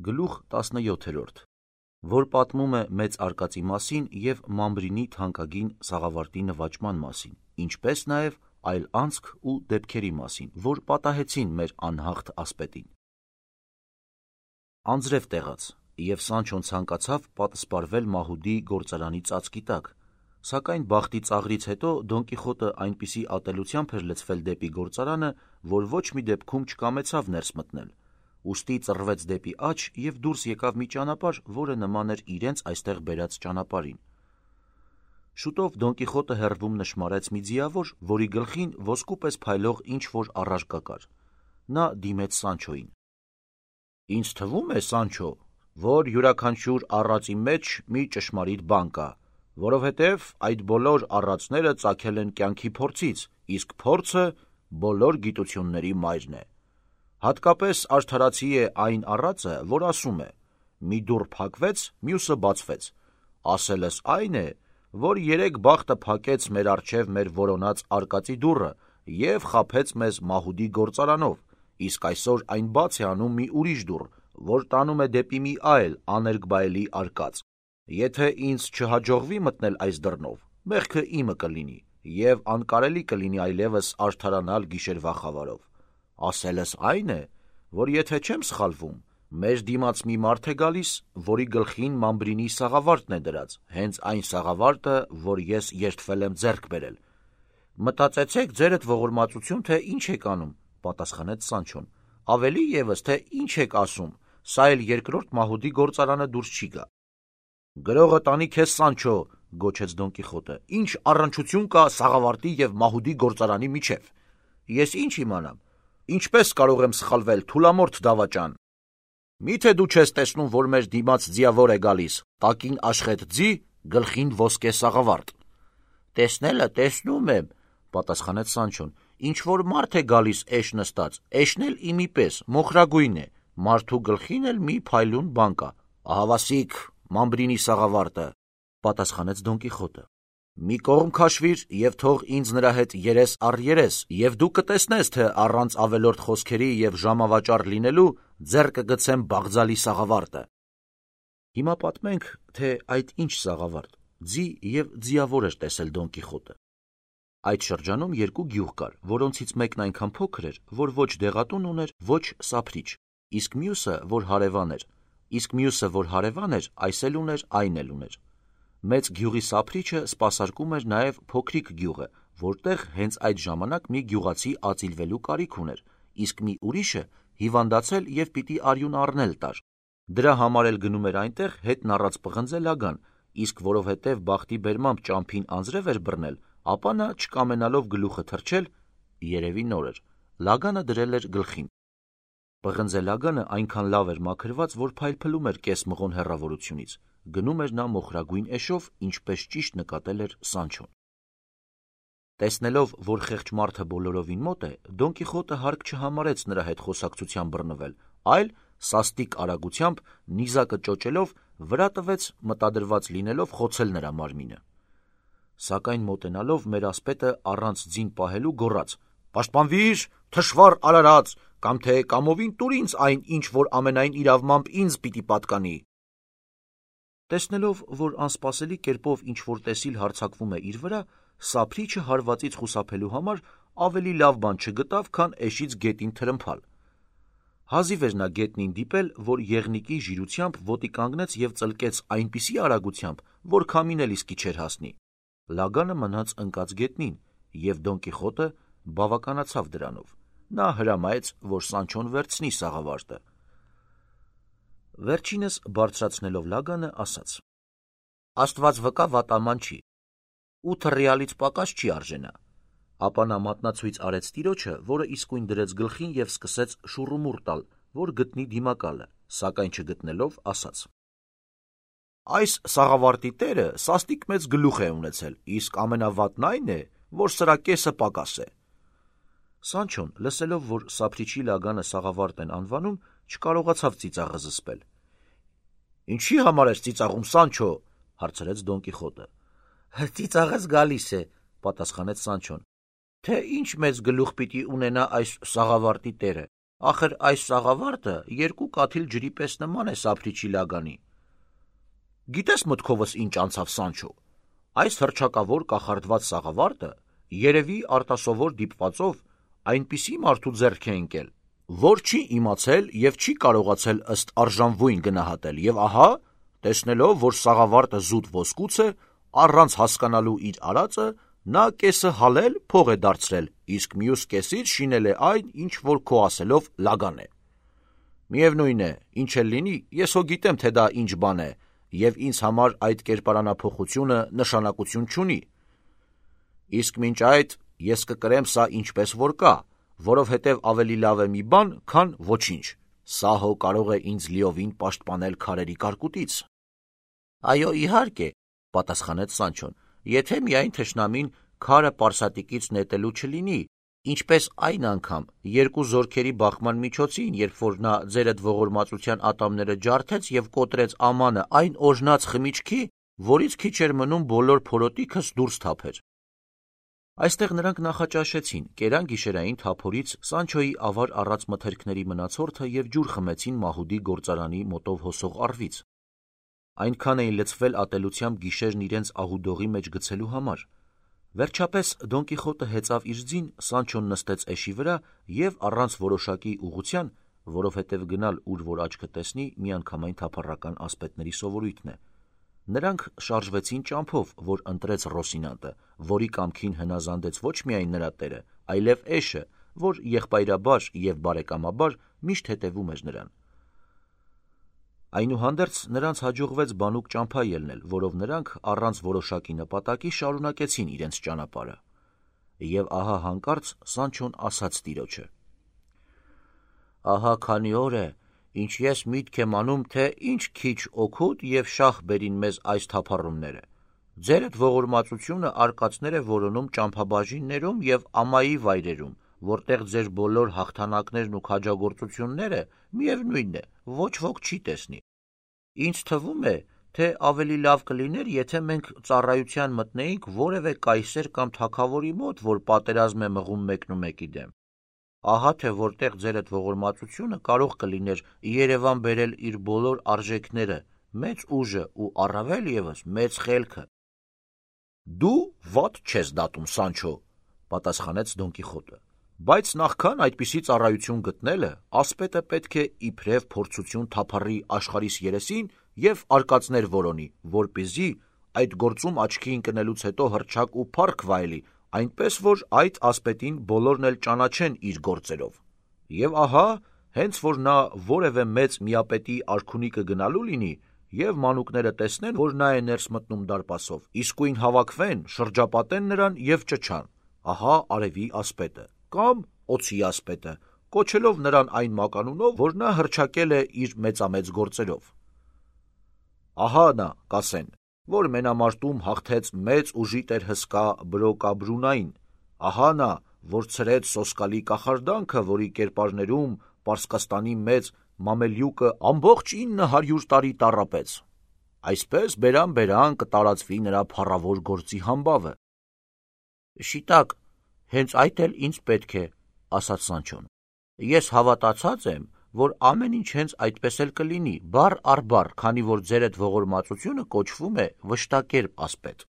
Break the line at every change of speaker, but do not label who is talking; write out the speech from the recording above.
Գլուխ 17, որ պատմում է մեծ արկածի մասին և Մամբրինի թանկագին Սաղավարտի նվաճման մասին, ինչպես նաև այլ անցք ու դեպքերի մասին, որ պատահեցին մեր անհաղթ ասպետին։ Անձրև տեղաց, և Սանչոն ցանկացավ պատսպարվել Մահուդի գործարանի ծածկի տակ, սակայն բախտի ծաղրից հետո Դոն Կիխոտը այնպիսի ատելությամբ էր լցվել դեպի գործարանը, որ ոչ մի դեպքում չկամեցավ ներս մտնել, ուստի ծռվեց դեպի աջ և դուրս եկավ մի ճանապարհ, որը նման էր իրենց այստեղ բերած ճանապարհին։ Շուտով Դոն Կիխոտը հեռվում նշմարեց մի ձիավոր, որի գլխին ոսկու պես փայլող ինչ-որ առարկա կար։ Նա դիմեց Սանչոյին. «Ինձ թվում է, Սանչո, որ յուրաքանչյուր առածի մեջ մի ճշմարիտ բան կա, որովհետև այդ բոլոր առածները ծագել են կյանքի փորձից, իսկ փորձը բոլոր գիտությունների մայրն է։ Հատկապես արդարացի է այն առածը, որ ասում է. մի դուռ փակվեց, մյուսը բացվեց։ Ասելս այն է, որ երեկ բախտը փակեց մեր առջև մեր որոնած արկածի դուռը և խաբեց մեզ Մահուդի գործարանով, իսկ այսօր այն բաց է անում մի ուրիշ դուռ, որ տանում է դեպի մի այլ աներկբայելի արկած։ Եթե ինձ չհաջողվի մտնել այս դռնով, մեղքը իմը կլինի, և անկարելի կլինի այլևս արդարանալ գիշերվա խավարով։ Ասելս այն է, որ եթե չեմ սխալվում, մեր դիմաց մի մարդ է գալիս, որի գլխին Մամբրինի սաղավարտն է դրած, հենց այն սաղավարտը, որ ես երդվել եմ ձեռք բերել։ Մտածեցեք ձերդ ողորմածություն, թե ինչ եք անում, պատասխանեց Սանչոն, ավելի ևս, թե ինչ եք ասում, սա էլ երկրորդ Մահուդի գործարանը դուրս չի գա։ Գրողը տանի քեզ, Սանչո, գոչեց Դոն Կիխոտը, ինչ առնչություն կա Սաղավարտի և Մահուդի գործարանի միջև։ Ես ինչ իմանամ, ինչպես կարող եմ սխալվել, թուլամորթ դավաճան։ Միթե դու չես տեսնում, որ մեր դիմաց ձիավոր է գալիս, տակին աշխետ ձի, գլխին ոսկե սաղավարտ։ Տեսնելը տեսնում եմ, պատասխանեց Սանչոն, ինչ որ մարդ է գալիս էշ նստած, էշն էլ իմի պես, մոխրագույն է, մարդու գլխին էլ մի փայլուն բան կա։ Ահավասիկ, Մամբրինի սաղավարտը, պատասխանեց Դոն Կիխոտը։ Մի կողմ քաշվիր և թող ինձ նրա հետ երես առ երես, և դու կտեսնես, թե առանց ավելորդ խոսքերի և ժամավաճառ լինելու ձեռքը գցեմ Բաղձալի սաղավարտը։ Հիմա պատմենք, թե այդ ինչ սաղավարտ, ձի և ձիավոր էր տեսել Դոն Կիխոտը։ Այդ շրջանում երկու գյուղ կար, որոնցից մեկն այնքան փոքր էր, որ ոչ դեղատուն ուներ, ոչ սափրիչ, իսկ մյուսը, որ հարևան էր, այս էլ ուներ, այն էլ ուներ։ Մեծ գյուղի սափրիչը սպասարկում էր նաև փոքրիկ գյուղը, որտեղ հենց այդ ժամանակ մի գյուղացի ածիլվելու կարիք ուներ, իսկ մի ուրիշը հիվանդացել և պիտի արյուն առնել տար։ Դրա համար էլ գնում էր այնտեղ հետն առած պղնձե Լագան, իսկ որովհետև բախտի բերմամբ ճամփին անձրև էր բռնել, ապա նա չկամենալով գլուխը թռչել, երևի նոր էր, Լագանը դրել էր գլխին։ Պղնձե Լագանը այնքան լավ էր մաքրված, որ փայլփլում էր կես մղոն հեռավորությունից։ Գնում էր նա մոխրագույն էշով, ինչպես ճիշտ նկատել էր Սանչոն։ Տեսնելով, որ խեղճ մարդը բոլորովին մոտ է, Դոն Կիխոտը հարկ չհամարեց նրա հետ խոսակցության բռնվել, այլ սաստիկ արագությամբ, նիզակը ճոճելով, վրա տվեց, մտադրված լինելով խոցել նրա մարմինը։ Սակայն մոտենալով մեր ասպետը առանց ձին պահելու գոռաց. «Պաշտպանվիր, թշվառ արարած, կամ թե կամովին տուր ինձ այն, ինչ որ ամենայն իրավմամբ ինձ պիտի պատկանի»։ Տեսնելով, որ անսպասելի կերպով ինչ-որ տեսիլ հարձակվում է իր վրա, սափրիչը հարվածից խուսափելու համար ավելի լավ բան չգտավ, քան էշից գետին թրմփալ։ Հազիվ էր նա գետնին դիպել, որ եղնիկի ժիրությամբ ոտի կանգնեց և ծլկեց այնպիսի արագությամբ, որ քամին էլ իսկի չէր հասնի։ Լագանը մնաց ընկած գետնին, և Դոն Կիխոտը բավականացավ դրանով։ Նա հրամայեց, որ Սանչոն վերցնի սաղավարտը։ Վերջինս բարձրացնելով Լագանը, ասաց. Աստված վկա, վատաման չի, 8 ռիալից պակաս չի արժենա։ Ապա նա մատնացույց արեց տիրոջը, որը իսկույն դրեց գլխին և սկսեց շուռումուռ տալ, որ գտնի դիմակալը, սակայն չգտնելով, ասաց. Այս սաղավարտի տերը սաստիկ մեծ գլուխ է ունեցել, իսկ ամենավատն այն է, որ սրա կեսը պակաս է։ Սանչոն, լսելով, որ սափրիչի Լագանը սաղավարտ են անվանում, չկարողացավ ծիծաղը զսպել։ Ինչի համար ես ծիծաղում, Սանչո, հարցրեց Դոն Կիխոտը։ Ծիծաղս գալիս է, պատասխանեց Սանչոն, թե ինչ մեծ գլուխ պիտի ունենա այս սաղավարտի տերը, Ախր այս սաղավարտը 2 կաթիլ ջրի պես նման է Սափրիչի լագանի։ Գիտես մտքովս ինչ անցավ, Սանչո, այս հռչակավոր կախարդված սաղավարտը երևի արտասովոր դիպվածով այնպիսի մարդու ձեռք է ընկել, որ չի իմացել և չի կարողացել ըստ արժանվույն գնահատել, և ահա, տեսնելով, որ սաղավարտը զուտ ոսկուց է, առանց հասկանալու իր արածը, նա կեսը հալել փող է դարձրել, իսկ մյուս կեսից շինել է այն, ինչ որ քո ասելով լագան է։ Միևնույն է, ինչ էլ լինի, ես հո գիտեմ, թե դա ինչ բան է, և ինձ համար այդ կերպարանափոխությունը նշանակություն չունի։ Իսկ մինչ այդ ես կկրեմ սա ինչպես որ կա, որովհետև ավելի լավ է մի բան, քան ոչինչ։ Սա հո կարող է ինձ լիովին պաշտպանել քարերի կարկուտից։ Այո, իհարկե, պատասխանեց Սանչոն, եթե միայն թշնամին քարը պարսատիկից նետելու չլինի, ինչպես այն անգամ 2 զորքերի բախման միջոցին, երբ որ նա ձերդ ողորմածության ատամները ջարդեց և կոտրեց ամանը այն օրհնած խմիչքի, որից քիչ էր մնում բոլոր փորոտիքս դուրս թափեր։ Այստեղ նրանք նախաճաշեցին, կերան գիշերային թափորից Սանչոյի ավար առած մթերքների մնացորդը և ջուր խմեցին Մահուդի գործարանի մոտով հոսող առվից։ Այնքան էին լցվել ատելությամբ գիշերն իրենց ահուդողի մեջ գցելու համար։ Վերջապես Դոն Կիխոտը հեծավ իր ձին, Սանչոն նստեց էշի վրա և առանց որոշակի ուղղության, որովհետև գնալ ուր որ աչքը տեսնի միանգամայն թափառական ասպետների սովորույթն է։ Նրանք շարժվեցին ճամփով, որ ընտրեց Ռոսինանտը, որի կամքին հնազանդեց ոչ միայն նրա տերը, այլև էշը, որ եղբայրաբար և բարեկամաբար միշտ հետևում էր նրան։ Այնուհանդերձ նրանց հաջողվեց բանուկ ճամփա ելնել, որով նրանք առանց որոշակի նպատակի շարունակեցին իրենց ճանապարհը։ Եվ ահա հանկարծ Սանչոն ասաց տիրոջը. «Ահա քանի օր է, ինչ ես միտք եմ անում, թե ինչ քիչ օգուտ և շահ բերին մեզ այս թափառումները։ Ձերդ ողորմածությունը արկածներ է որոնում ճամփաբաժիններում և ամայի վայրերում, որտեղ ձեր բոլոր հաղթանակներն ու քաջագործությունները, միևնույն է, ոչ ոք չի տեսնի։ Ինձ թվում է, թե ավելի լավ կլիներ, եթե մենք ծառայության մտնեինք որևէ կայսեր կամ թագավորի մոտ, որ պատերազմ է մղում մեկնումեկի դեմ։ Ահա թե որտեղ ձերդ ողորմածությունը կարող կլիներ Երևան բերել իր բոլոր արժեքները, մեծ ուժը ու առավել ևս մեծ խելքը»։ «Դու վատ չես դատում, Սանչո», պատասխանեց Դոն Կիխոտը, «բայց նախքան այդպիսի ծառայություն գտնելը, ասպետը պետք է իբրև փորձություն թափառի աշխարհիս երեսին և արկածներ որոնի, որպեսզի այդ գործում աչքի ընկնելուց հետո հռչակ ու փառք վայելի, այնպես որ այդ ասպետին բոլորն էլ ճանաչեն իր գործերով։ Եվ ահա, հենց որ նա որևէ մեծ միապետի արքունիքը գնալու լինի, և մանուկները տեսնեն, որ նա է ներս մտնում դարպասով, իսկույն հավաքվեն, շրջապատեն նրան և ճչան. ահա արևի ասպետը, կամ օձի ասպետը, կոչելով նրան այն մականունով, որ նա հռչակել է իր մեծամեծ գործերով։ Ահա նա, կասեն, որ մենամարտում հաղթեց մեծ ուժի տեր հսկա Բրոկաբրունային, ահա նա, որ ցրեց սոսկալի կախարդանքը, որի կերպարներում Պարսկաստանի մեծ Մամելյուկը ամբողջ 900 տարի տառապեց։ Այսպես բերան կտարածվի նրա փառավոր գործի համբավը։ Շիտակ, հենց այդ էլ ինձ պետք է, ասաց Սանչոն։ Ես հավատացած եմ, որ ամեն ինչ հենց այդպես էլ կլինի, բառ առ բառ, քանի որ ձերդ ողորմածությունը կոչվում է վշտակերպ ասպետ։